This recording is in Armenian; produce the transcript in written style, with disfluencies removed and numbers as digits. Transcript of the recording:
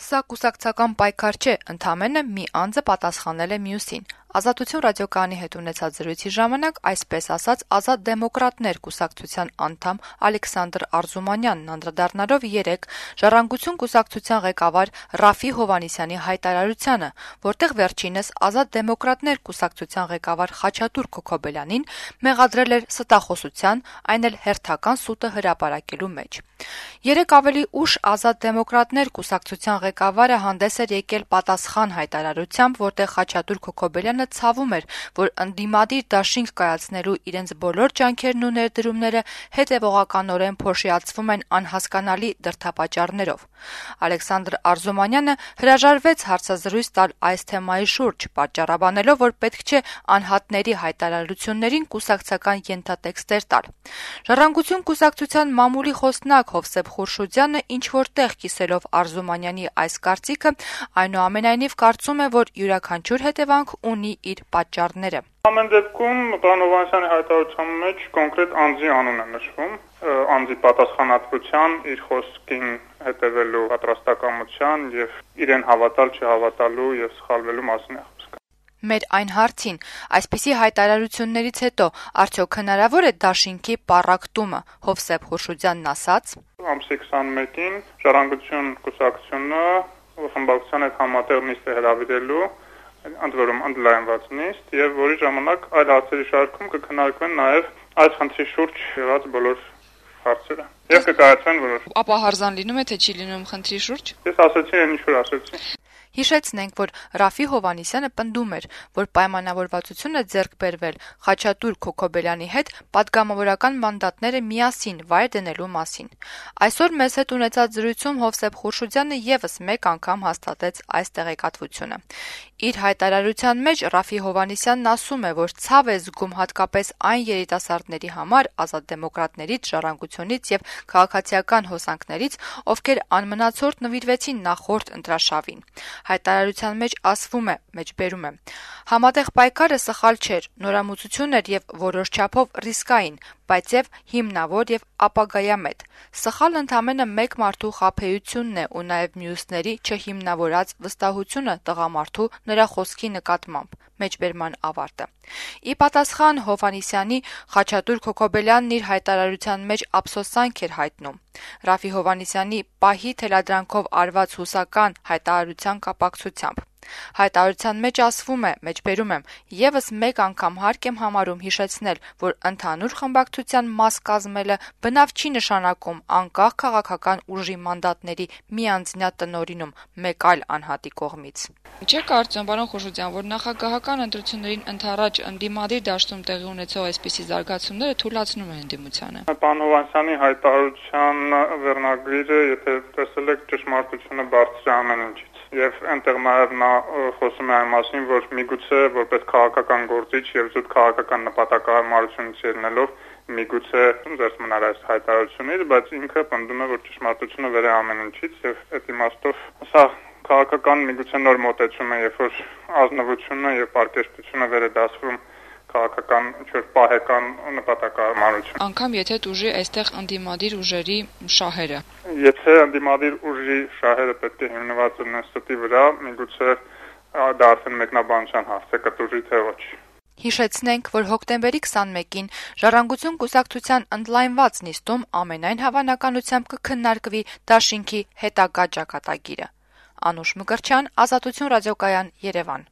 Սա կուսակցական պայքար չէ, ընդամենը մի անձը պատասխանել է մյուսին։ Ազատություն ռադիոկայանի հետ ունեցած զրույցի ժամանակ այսպես ասաց Ազատ դեմոկրատներ կուսակցության անդամ Ալեքսանդր Արզումանյանն անդրադառնալով երեկ Ժառանգություն կուսակցության ղեկավար Ռաֆի Հովհաննիսյանի հայտարարությանը, որտեղ վերջինս Ազատ դեմոկրատներ կուսակցության ղեկավար Խաչատուր Քոքոբելյանին մեղադրել էր ստախոսության, այն էլ հերթական սուտը հրապարակելու մեջ։ Երեկ ավելի ուշ Ազատ դեմոկրատներ կուսակցության ղեկավարը հանդես էր եկել պատասխան հայտարարությամբ, որտեղ Խաչատուր Քոքոբելյանը ցավում էր, որ ընդդիմադիր դաշինք կայացնելու իրենց բոլոր ջանքերն ու ներդրումները հետևողականորեն փոշիացվում են անհասկանալի դրդապատճառներով։ Ալեքսանդր Արզումանյանը հրաժարվեց հարցազրույց տալ այս թեմայի շուրջ, պատճառաբանելով, որ պետք չէ անհատների հայտարարություններին կուսակցական ենթատեքստեր տալ։ Ժառանգություն կուսակցության մամուլի խոսնակ Հովսեփ Խուրշուդյանը ինչ-որ տեղ կիսելով Արզումանյանի այս կարծիքը, այնուամենայնիվ կարծում է, որ յուրաքանչյուր հետևանք ունի իր պատճառները։ Ամեն դեպքում պարոն Հովհաննիսյանի հայտարարության մեջ կոնկրետ անձի անուն է նշվում, անձի պատասխանատվության, իր խոսքին հետևելու պատրաստակամության եւ իրեն հավատալ, չհավատալու եւ սխալվելու մասին է խոսքը։ Մեր այն հարցին, այսպիսի հայտարարություններից հետո արդյոք հնարավոր է դաշինքի պառակտումը, Հովսեփ Խուրշուդյանն ասաց. Ամսի 21-ին Ժառանգություն կուսակցությունը խմբակցության հետ համատեղ նիստ է հրավիրելու, ընդ որում ընդլայնված նիստ, եւ որի ժամանակ այլ հարցերի շարքում կքննարկվեն նաեւ այս խնդրի շուրջ եղած բոլոր հարցերը։ Եվ կկայացվեն որոշ։ Ապա հարզան լինում է, թե չի լինում խնդրի շուրջ։ Ես ասացի, այն ինչ որ ասացի։ Հիշեցնենք, որ Ռաֆի Հովհաննիսյանը պնդում էր, որ պայմանավորվածություն է ձեռք բերվել Խաչատուր Քոքոբելյանի հետ պատգամավորական մանդատները միասին վայր դնելու մասին։ Այսօր մեզ հետ ունեցած զրույցում Հովսեփ Խուրշուդյանը եւս մեկ անգամ հաստատեց այս տեղեկատվությունը։ Իր հայտարարության մեջ Ռաֆի Հովհաննիսյանն ասում է, որ ցավ է զգում հատկապես այն երիտասարդների համար Ազատ դեմոկրատներից, Ժառանգությունից եւ քաղաքացիական հոսանքներից, ովքեր անմնացորդ նվիրվեցին նախորդ ընտրաշավին։ Հայտարարության մեջ ասվում է, մեջբերում է. Համատեղ պայքարը սխալ չէր, նորամուծություն էր եւ որոշ չափով ռիսկային, բայց եւ հիմնավոր եւ ապագայամետ։ Սխալ ընդամենը մեկ մարդու խաբեությունն է ու նաեւ մյուսների չհիմնավորած վստահությունը տղամարդու նրա խոսքի նկատմամբ։ Մեջբերման ավարտը։ Ի պատասխան Հովհաննիսյանի Խաչատուր Քոքոբելյանն իր հայտարարության մեջ ափսոսանք էր հայտնում։ Ռաֆի Հովհաննիսյանի պահի թելադրանքով արված հուսական հայտարարության կապակցությամբ։ Հայտարարության մեջ ասվում է, մեջբերում եմ, եւս մեկ անգամ հարկ եմ համարում հիշեցնել, որ ընդհանուր խմբակցության մաս կազմելը բնավ չի նշանակում անկախ քաղաքական ուժի մանդատների միանձնյա տնօրինում մեկ այլ անհատի կողմից։ Չէ՞ կարծում, պարոն Խուրշուդյան, որ նախագահական ընտրություններին ընդառաջ ընդդիմադիր դաշտում տեղի ունեցող այսպիսի զարգացումները թույլատնում են ընդդիմությանը։ Պարոն Հովհաննիսյանի հայտարարության վերնագրերը, եթե տեսել եք, ճշմարտությունը բարձր է ամեն ինչից։ Եվ այնտեղ նաև նա խոսում է այն մասին, որ միգուցե որպես քաղաքական գործիչ եւ զուտ քաղաքական նպատակահարմարությունից ելնելով միգուցե զերծ մնար այս հայտարարությունից, բայց ինքը պնդում է, որ ճշմարտությունը վեր է ամեն ինչից եւ այդ իմաստով սա քաղաքական միգուցե նոր մոտեցում է, երբ որ ազնվությունը եւ պարկեշտությունը վեր է դասվում քաղաքական ինչ-որ պահեկան նպատակահարմարություն։ Անկամ եթե դուժի այստեղ ընդդիմադիր ուժերի շահերը։ Եթե ընդդիմադիր ուժի շահերը պետք է հիմնված լինեն ստի վրա, միգուցե դա արդեն մեկնաբանության հարց է, կտուժի թե ոչ։ Հիշեցնենք, որ հոկտեմբերի 21-ին Ժառանգություն կուսակցության ընդլայնված նիստում ամենայն հավանականությամբ կքննարկվի դաշինքի հետագա ճակատագիրը։ Անուշ Մկրտչյան, Ազատություն ռադիոկայան, Երևան։